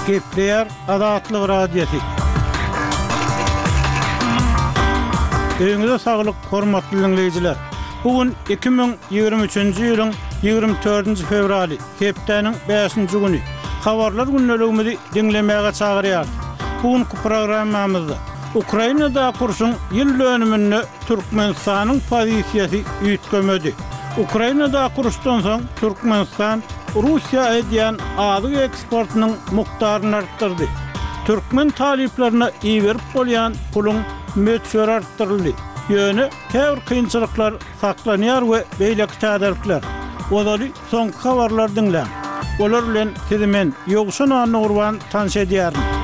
Gepleýär Azatlyk Radiosy. Öýüňize saglyk, hormatly diňleýjiler! Bu gün 2023-nji ýylyň 24-nji fewraly, hepdäniň bäşinji güni. Habarlar gündeligimizi diňlemäge çagyrýarys. Bu günki programmamyzda Ukrainadaky urşuň ýyl dönüminde Türkmenistanyň pozisiýasy üýtgemedi. Ukrainadaky uruşdan soň Türkmenistan Russiýa edýän azyk eksportynyň mukdaryny artdyrdy. Türkmen talyplaryna iberip bolýan puluň möçberi artdyryldy. Ýöne käbir kynçylyklar saklanýar we beýleki täzelikler. Ozaly soňky habarlary diňläň. Olar bilen sizi men, Ýowşan Annagurban tanyş edýärin.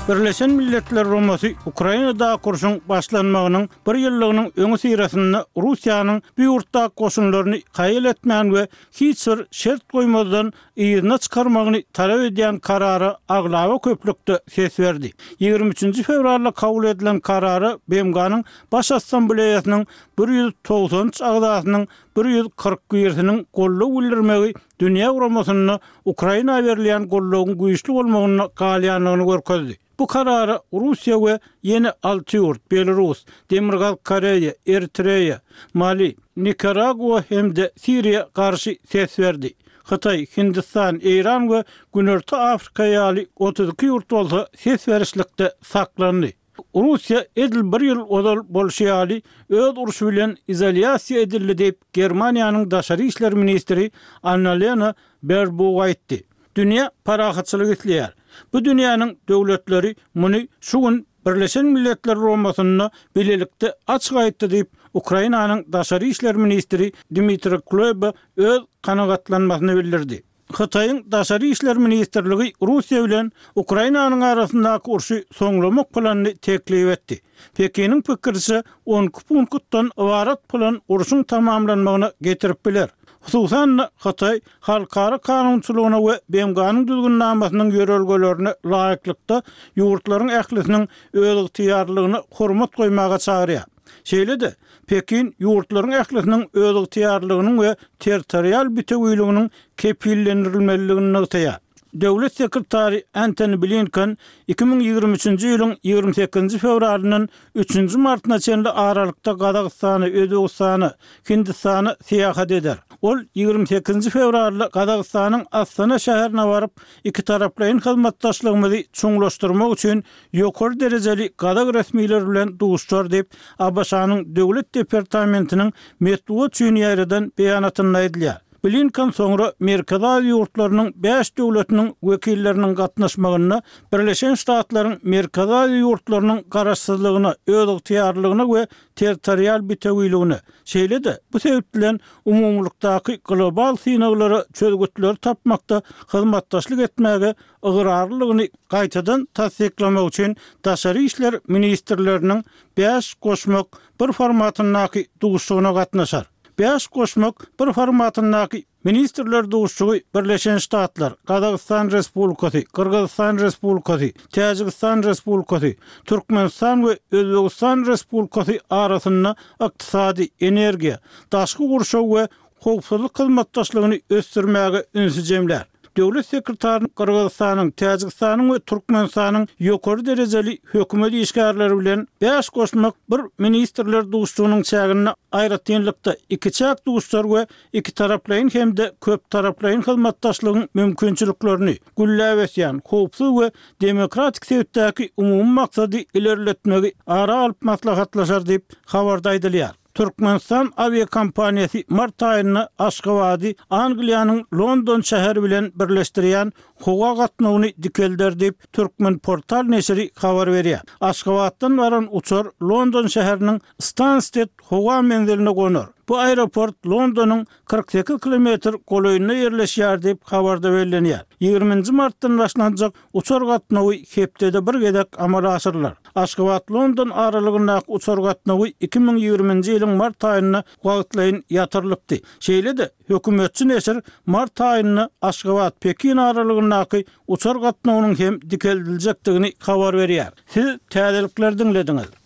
Birleşen Milletler Guramasy Ukrainadaky urşuň başlanmagynyň bir ýyllygynyň öňüsyrasynda Russiýanyň bu ýurtdaky goşunlaryny haýal etmän we hiç bir şert goýmazdan yzyna çykarmagyny talap edýän karara aglaba köplükde ses berdi. Ýigrimi üçünji fewralda kabul edilen karara BMG-niň Baş Assambleýasynyň 193 agzasynyň 140 birisiniň goldaw bildirmegi dünýä guramasynda Ukraina berilýän goldawyň güýçli bolmagynda galýandygyny görkezdi. Bu karara Russiýa we ýene alty ýurt, Belarus, Demirgazyk Koreýa, Eritreýa, Mali, Nikaragua hem-de Siriýa garşy ses berdi. Hytaý, Hindistan, Eýran we Günorta Afrika ýaly 32 ýurt bolsa ses berişlikde saklandy. Russiýa edil bir ýyl ozal bolşy ýaly öz urşy bilen izolýasiýa edildi diýip, Germaniýanyň daşary işler ministri Annalena Berbuk aýtdy. Dünýä parahatçylyk isleýär. Bu dünýäniň döwletleri muny şu gün Birleşen Milletler Guramasynda bilelikde açyk aýtdy diýip, Ukrainanyň daşary işler ministri Dmitri Kuleba öz kanagatlanmasyny bildirdi. Hytaýyň Daşary işler ministrligi Russiýa bilen Ukrainanyň arasyndaky urşy soňlamak planyny teklip etdi. Pekiniň pikiriçe, 12 punktdan ybarat plan urşuň tamamlanmagyna getirip biler. Hususan-da, Hytaý halkara kanunçylygyna we BMG-niň Düzgünnamasynyň ýörelgelerine laýyklykda ýurtlaryň ählisiniň özygtyýarlylygyna hormat goýmaga çagyrýar. Şeýle-de, Pekin ýurtlaryň ählisiniň özygtyýarlylygynyň we territorial bütewiliginiň kepillendirilmelidigini nygtaýar. Döwlet sekretary Antony Blinken 2023-nji ýylyň 28-nji fewralyndan üçünji martyna çenli aralykda Gazagystana, Özbegistana, Hindistana syýahat eder. Ol 28-nji fewralda Gazagystanyň Astana şäherine baryp, ikitaraplaýyn hyzmatdaşlygymyzy çuňlaşdyrmak üçin ýokary derejeli gazak resmileri bilen duşuşar diýip, ABŞ-nyň Döwlet departamentiniň metbugat üçin ýaýradan beýanatynda aýdylýar. Blinken soňra Merkezi Aziýa ýurtlarynyň bäş döwletiniň wekilleriniň gatnaşmagynda Birleşen Ştatlaryň Merkezi Aziýa ýurtlarynyň garaşsyzlygyna, özygtyýarlylygyna we territorial bitewiligine, şeýle-de bu sebit bilen umumylykdaky global synaglara çözgütleri tapmakda hyzmatdaşlyk etmäge ygrarlylygyny gaýtadan tassyklamak üçin daşary işler ministrleriniň bäş goşmak bir formatyndaky duşuşygyna gatnaşar. Bäş goşmak bir formatyndaky ministrler duşuşygy Birleşen Ştatlar, Gazagystan Respublikasy, Gyrgyzystan Respublikasy, Täjigistan Respublikasy, Türkmenistan we Özbegistan Respublikasy arasynda ykdysady, energiýa, daşky gurşaw we howpsuzlyk hyzmatdaşlygyny ösdürmäge ünsi jemlär. Döwlet sekretary Gyrgyzystanyň, Täjigistanyň we Türkmenistanyň ýokary derejeli hökümet işgärleri bilen bäş goşmak bir ministrler duşuşygynyň çäginde aýratynlykda ikiçäk duşuşar we ikitaraplaýyn hem-de köptaraplaýyn hyzmatdaşlygyň mümkinçiliklerini, gülläp ösýän, howpsuz we demokratik sebitdäki umumy maksady ilerletmegi ara alyp maslahatlaşar diýip, habarda aýdylýar. Türkmenistan awiakompaniýasy mart aýynda Aşgabady Angliýanyň London şäheri bilen birleşdirýän howa gatnawyny dikelder diýip, Turkmenportal neşiri habar berýär. Aşgabatdan baran uçar London şäheriniň Stansted howa menziline gonar. Bu aeroport Londonyň 48 kilometr golaýynda ýerleşýär diýip, habarda bellenýär. Ýigriminji martdan başlanjak Uçar gatnawy hepdede bir gezek amala aşyrylar. Aşgabat-London aralygyndaky uçar gatnawy 2020-nji ýylyň mart aýynda wagtlaýyn ýatyrylypdy. Şeýle-de, hökümetçi neşir mart aýynda Aşgabat-Pekin aralygyndaky uçar gatnawynyň hem dikeldiljekdigini habar berýär. Siz täzelikleri diňlediňiz.